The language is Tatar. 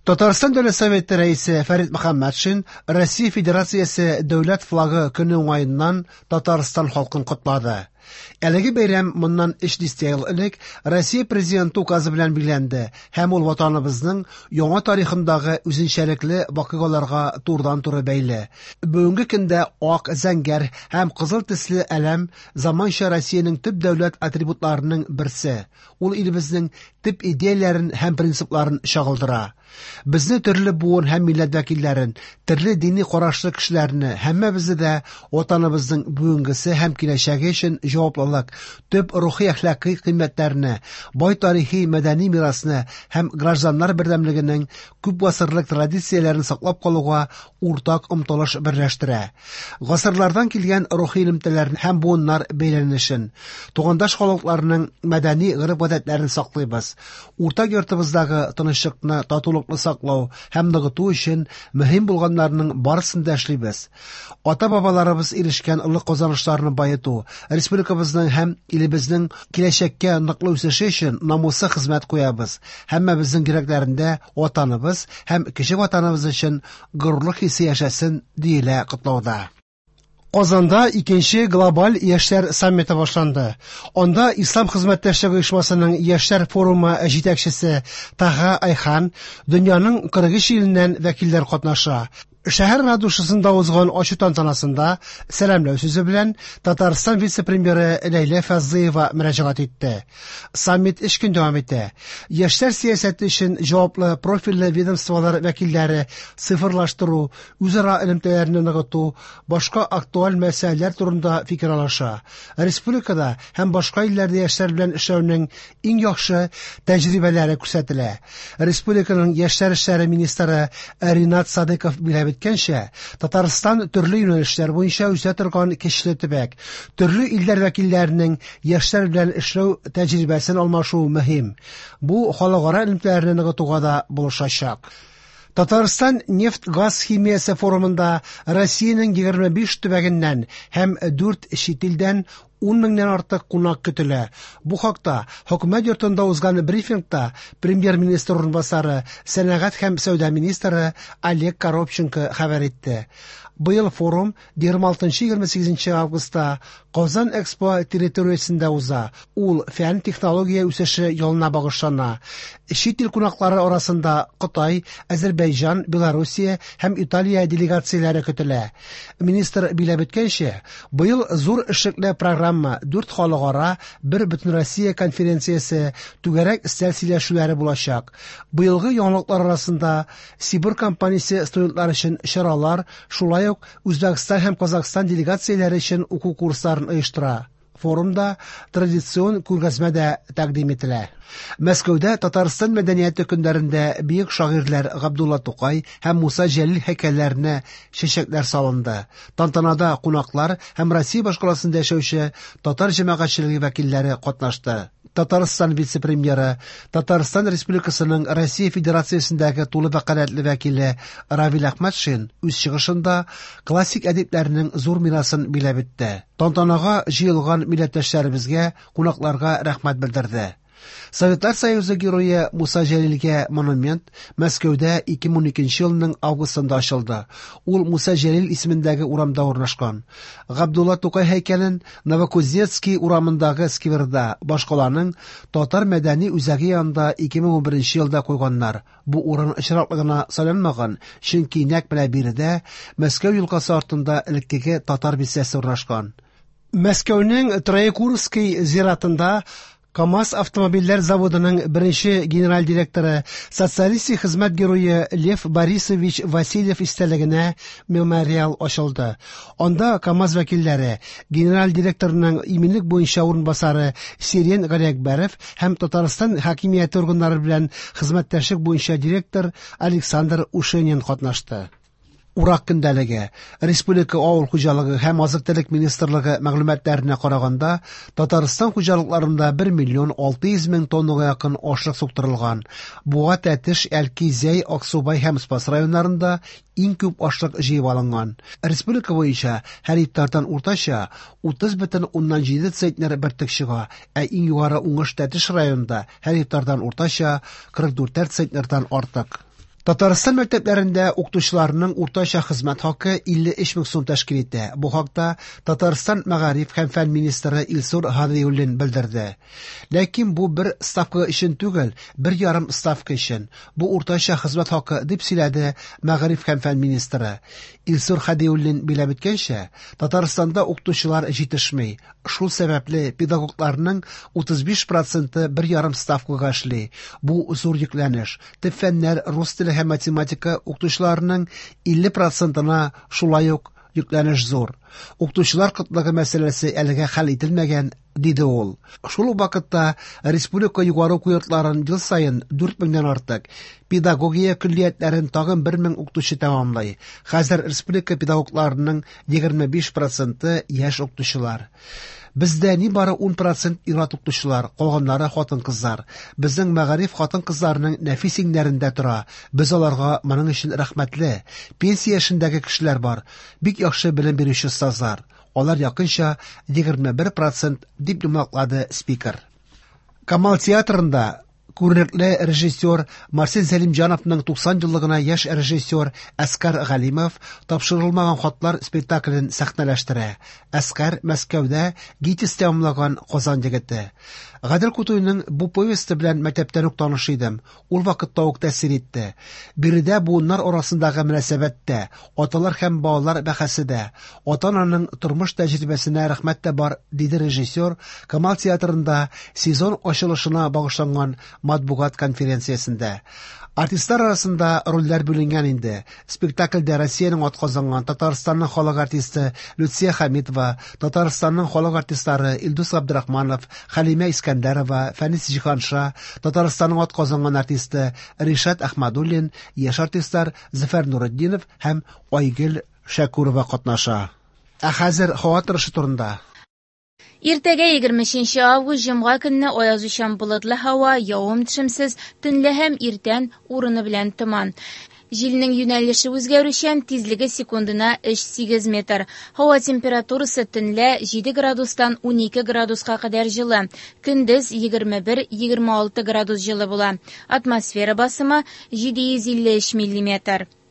Татарстан Дәүләт Советы Рәисе Фәрит Мөхәммәтшин Россия Федерациясе Дәүләт флагы көне уңаеннан Татарстан халкын котлады. Әлеге бәйрәм моннан өч дистә ел элек Россия Президенты указы белән билгеләнде һәм ул ватаныбызның яңа тарихындагы үзенчәлекле вакыйгаларга турыдан-туры бәйле. Бүгенге көндә ак, зәңгәр һәм кызыл төсле әләм заманча Россиянең төп дәүләт атрибутларының берсе. Ул илебезнең төп идеяләрен һәм принципларын чагылдыра. Безне төрле буын һәм милләт вәкилләрен, төрле дини карашлы кешеләрне, һәммәбезне дә ватаныбызның бүгенгесе һәм киләчәге өчен җаваплылык, төп рухи әхлакый кыйммәтләрне, бай тарихи мәдәни мирасны һәм гражданнар бердәмлегенең күп гасырлык традицияләрен саклап калуга уртак омтылыш берләштерә. Гасырлардан килгән рухи элемтәләрне һәм буыннар бәйләнешен, тугандаш халыкларның мәдәни гореф-гадәтләрен саклыйбыз. Уртак йортыбыздагы тынычлыкны, татулыкны саклау һәм ныгыту өчен мөһим булганнарның барысын да эшлибез. Ата-бабаларыбыз ирешкән олы казанышларны баету, республикабызның һәм илебезнең киләчәккә ныклы үсеше өчен намуслы хезмәт куябыз. Һәммәбезнең йөрәкләрендә ватаныбыз һәм кече ватаныбыз өчен горурлык хисе яшәсен, диелә котлауда. Казанда икенче глобаль яшьләр саммиты башланды. Анда Ислам хезмәттәшлеге оешмасының яшьләр форумы җитәкчесе Таха Айхан, дөньяның 43 иленнән вәкилләр катнаша. Шәһәр ратушасында узган ачу тантанасында сәламләү сүзе белән Татарстан вице-премьеры Ләйлә Фазлыева мөрәҗәгать итте. Саммит өч көн дәвам итә. Яшьләр сәясәте өчен җаваплы профильле ведомстволар вәкилләре цифрлаштыру, үзара элемтәләрне ныгыту, башка актуаль мәсьәләләр турында фикер алыша. Республикада һәм башка илләрдә яшьләр белән эшләүнең иң яхшы тәҗрибәләре күрсәтелә. Республиканың яшьләр эшләре министры Ринат Садыков билгеләп үткәнчә, Татарстан төрле юнәлешләр буенча үсә торган көчле төбәк. Төрле илләр вәкилләренең яшьләр белән эшләү тәҗрибәсен алмашу мөһим. Бу халыкара элемтәләрне ныгытуга да булышачак. Татарстан нефть-газ химиясе форумында Россиянең 25 төбәгеннән һәм 4 чит илдән 10 меңнән артык кунак көтелә. Бу хакта Хөкүмәт йортында узган брифингта премьер-министр урынбасары, сәнәгать һәм сәүдә министры Олег Коробченко хәбәр итте. Быел форум 26-28 августта Казан Экспо территориясендә уза. Ул фән технология үсеше елына багышлана. Чит ил кунаклары арасында Кытай, Азербайҗан, Белоруссия һәм Италия делегацияләре көтелә. Министр билгеләп үткәнчә, быел зур эшлекле программа, 4 халыкара, 1 бөтенроссия конференциясе, түгәрәк өстәл сөйләшүләре булачак. Быелгы яңалыклар арасында Сибур компаниясе студентлар өчен чаралар, шулай ук Үзбәкстан һәм Казахстан делегацияләре өчен уку курсларын оештыра. Форумда традицион күргәзмә дә тәкъдим ителә. Мәскәүдә Татарстан мәдәнияте көннәрендә бөек шагыйрьләр Габдулла Тукай һәм Муса Җәлил һәйкәлләренә чәчәкләр салынды. Тантанада кунаклар һәм Россия башкаласында яшәүче татар җәмәгатьчелеге вәкилләре катнашты. Татарстан вице-премьеры, Татарстан Республикасының Россия Федерациясендәге тулы вәкаләтле вәкиле Равил Әхмәтшин үз чыгышында классик әдипләрнең зур мирасын биләп үтте. Тантанага җыелган милләттәшләребезгә, кунакларга рәхмәт белдерде. Советлар Союзы герое Муса Җәлилгә монумент Мәскәүдә 2012 елның августында ачылды. Ул Муса Җәлил исемендәге урамда урнашкан. Габдулла Тукай һәйкәлен Новокузнецкий урамындагы скверда, башкаланың татар мәдәни үзәге янында 2011 елда куйганнар. Бу урын очраклы гына сайланмаган, чөнки нәкъ менә биредә Мәскәү елгасы артында элеккеге татар бистәсе урнашкан. Мәскәүнең Троекуровский зиратында КАМАЗ автомобильләр заводының беренче генераль директоры, социалистик хезмәт герое Лев Борисович Васильев истәлегенә мемориал ачылды. Анда КАМАЗ вәкилләре, генераль директорның иминлек буенча урынбасары Сирен Галиәкбәров һәм Татарстан хакимияте органнары белән хезмәттәшлек буенча директор Александр Ушенин катнашты. Урак көндәлеге. Республика авыл хуҗалыгы һәм азык-төлек министрлыгы мәгълүматларына караганда, Татарстан хуҗалыкларында 1 миллион 600 мең тоннага якын ашлык суктырылган. Буа, Тәтеш, Әлки, Зәй, Аксубай һәм Спас районнарында иң күп ашлык җыеп алынган. Республика буенча һәр гектардан уртача 30,7 центнер бөртек чыга, ә иң югары уңыш Тәтеш районында һәр гектардан уртача 44 центнердан артык. Татарстан мәктәпләрендә укытучыларның уртача хезмәт хакы 53 мең сум тәшкил итә. Бу хакта Татарстан мәгариф һәм фән министры Илсур Һадиуллин белдерде. Ләкин бу бер ставка өчен түгел, бер ярым ставка өчен. Бу уртача хезмәт хакы, дип сөйләде мәгариф һәм фән министры. Илсур Һадиуллин билгеләп үткәнчә, Татарстанда укытучылар җитешми. Шул сәбәпле педагогларның 35 проценты бер ярым ставкага эшли. Бу зур йөкләнеш. Төп фәннәр, рус теле һәм математика укытучыларының 50 процентына шулай ук йөкләнеш зур. Укытучылар кытлыгы мәсьәләсе әлегә хәл ителмәгән, диде ул. Шул ук вакытта республика югары уку йортларын ел саен 4 меңнән артык, педагогия көллиятләрен тагын 1 мең укытучы тәмамлый. Хәзер республика педагогларының 25 проценты яшь укытучылар. Бездә нибары 10 процент ир-ат укытучылар, калганнары хатын-кызлар. Безнең мәгариф хатын-кызларның нәфис иңнәрендә тора. Без аларга моның өчен рәхмәтле. Пенсия яшендәге кешеләр бар. Бик яхшы белем бирүче остазлар. Алар якынча 21 процент, дип йомгаклады спикер. Камал театрында күренекле режиссер Марсель Сәлимҗановның 90 еллыгына яшь режиссер Әскар Галимов «Тапшырылмаган хатлар» спектаклен сәхнәләштерә. Әскар Мәскәүдә ГИТИС тәмамлаган Казан егете. Гадел Кутуйның бу повесте белән мәктәптән үк таныш идем. Ул вакытта ук тәэсир итте. Биредә буыннар арасындагы мөнәсәбәттә, аталар һәм балалар бәхәсе дә, ата-ананың тормыш тәҗрибәсенә рәхмәт тә бар, диде режиссер Камал театрында сезон ачылышына багышланган матбугат конференциясендә. Артистлар арасында рольләр бүленгән инде. Спектакльдә Россиянең атказанган, Татарстанның халык артисты Люция Хәмитова, Татарстанның халык артистлары Илдус Габдрахманов, Хәлимә Искәндәрова, Фәнис Җиһанша, Татарстанның атказанган артисты Ришат Әхмәдуллин, яшь артистлар Зөфәр Нуретдинов һәм Айгөл Шәкүрова катнаша. Ә хәзер һава торышы турында. Иртәгә 23 август җомга көнне аязучан болытлы һава, явым-төшемсез, төнлә һәм иртән урыны белән томан. Җилнең юнәлеше үзгәрүчән, тизлеге секундына 3-8 метр. Һава температурасы төнлә 7 градустан 12 градуска кадәр җылы, көндез 21-26 градус җылы була. Атмосфера басымы 753 миллиметр.